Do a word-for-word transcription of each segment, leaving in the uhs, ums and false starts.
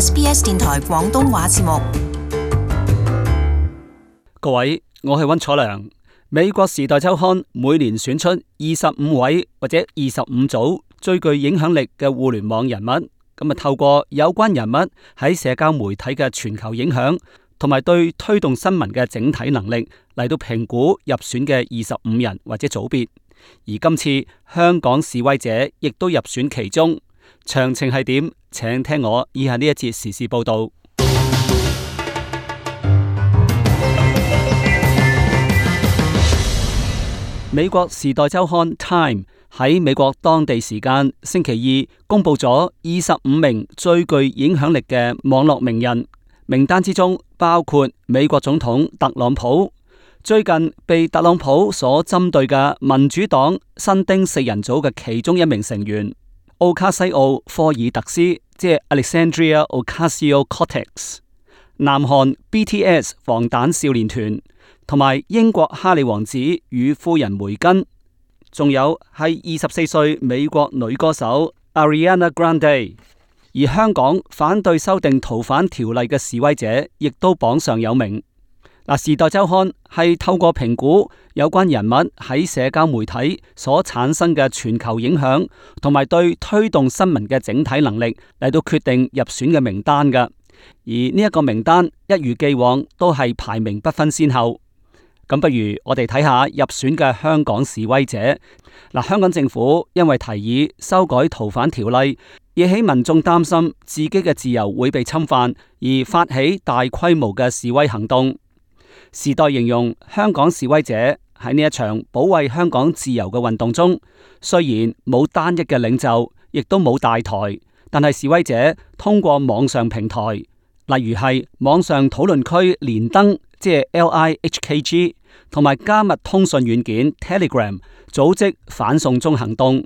S B S 電台廣東話節目。各位，我係溫楚良。美國時代週刊每年選出二十五位或者二十五組最具影響力嘅互聯網人物，咁啊透過有關人物喺社交媒體嘅全球影響，同埋對推動新聞嘅整體能力嚟到評估入選嘅二十五人或者組別。而今次香港示威者亦都入選其中，詳情係點？請聽我以下呢一節時事報道。美國時代週刊 Time 喺美國當地時間星期二公布咗二十五名最具影響力嘅網絡名人，名單之中包括美國總統特朗普，最近被特朗普所針對嘅民主黨新丁四人組嘅其中一名成員奧卡西奧科爾特斯，即係 Alexandria Ocasio-Cortez， 南韓 B T S 防彈少年團，同埋英國哈利王子與夫人梅根，仲有係二十四歲美國女歌手 Ariana Grande。而香港反對修訂逃犯條例嘅示威者亦都榜上有名。嗱，時代週刊係透過評估有關人物喺社交媒體所產生嘅全球影響，同埋對推動新聞嘅整體能力嚟到決定入選嘅名單㗎。而呢一個名單一如既往都係排名不分先後。咁不如我哋睇下入選嘅香港示威者。嗱，香港政府因為提議修改逃犯條例，惹起民眾擔心自己嘅自由會被侵犯，而發起大規模嘅示威行動。時代形容香港示威者喺呢一場保衛香港自由嘅運動中，雖然冇單一嘅領袖，亦都冇大台，但係示威者通過網上平台，例如係網上討論區連登，即係 L I H K G， 同埋加密通訊軟件 Telegram 組織反送中行動，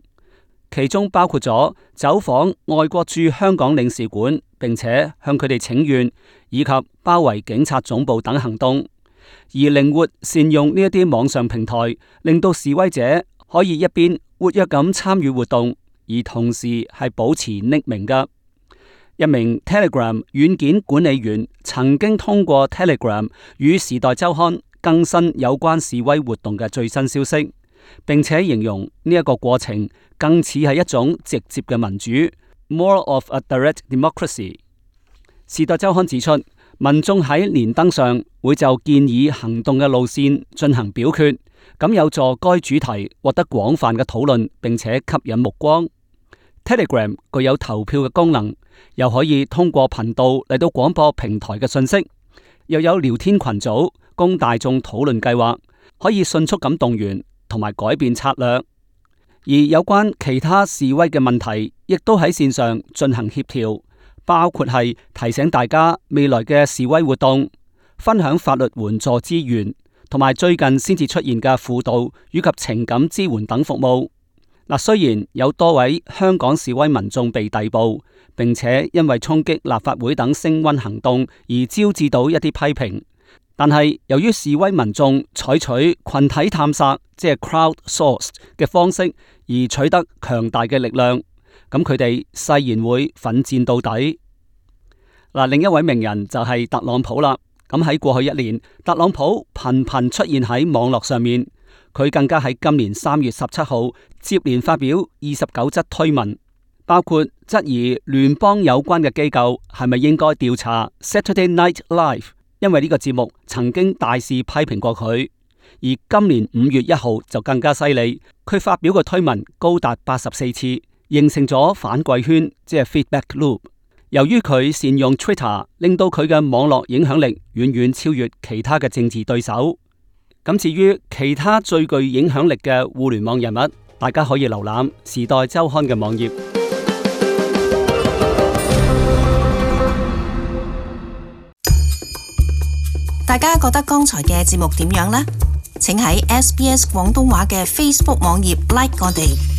其中包括咗走訪外國駐香港領事館，並且向佢哋請願，以及包圍警察總部等行動。而靈活善用呢一啲網上平台，令到示威者可以一邊活躍咁參與活動，而同時係保持匿名嘅。一名 Telegram 軟件管理員曾經通過 Telegram 與時代週刊更新有關示威活動嘅最新消息，並且形容呢一個過程更似係一種直接嘅民主 ，more of a direct democracy。時代週刊指出，民眾喺連登上會就建議行動嘅路線進行表決，咁有助該主題獲得廣泛嘅討論，並且吸引目光。Telegram 具有投票嘅功能，又可以通過頻道嚟到廣播平台嘅信息，又有聊天群組供大眾討論計劃，可以迅速咁動員同埋改變策略。而有關其他示威嘅問題，亦都喺線上進行協調，包括係提醒大家未來嘅示威活動，分享法律援助資源，同埋最近先至出現嘅輔導以及情感支援等服務。嗱，雖然有多位香港示威民眾被逮捕，並且因為衝擊立法會等升溫行動而招致到一啲批評，但係由於示威民眾採取群體探索，即係 crowdsourced 嘅方式而取得強大嘅力量，咁佢哋誓言會奮戰到底。嗱，另一位名人就係特朗普啦。咁喺過去一年，特朗普頻頻出現喺網絡上面。佢更加喺今年三月十七號接連發表二十九則推文，包括質疑聯邦有關嘅機構係咪應該調查 Saturday Night Live， 因為呢個節目曾經大肆批評過佢。而今年五月一號就更加犀利，佢發表嘅推文高達八十四次，形成咗反饋圈，即係 feedback loop。由於佢善用 Twitter， 令到佢嘅網絡影響力遠遠超越其他嘅政治對手。咁至於其他最具影響力嘅互聯網人物，大家可以瀏覽時代週刊嘅網頁。大家覺得剛才嘅節目點樣呢？請喺 S B S 廣東話嘅 Facebook 網頁 like 我哋。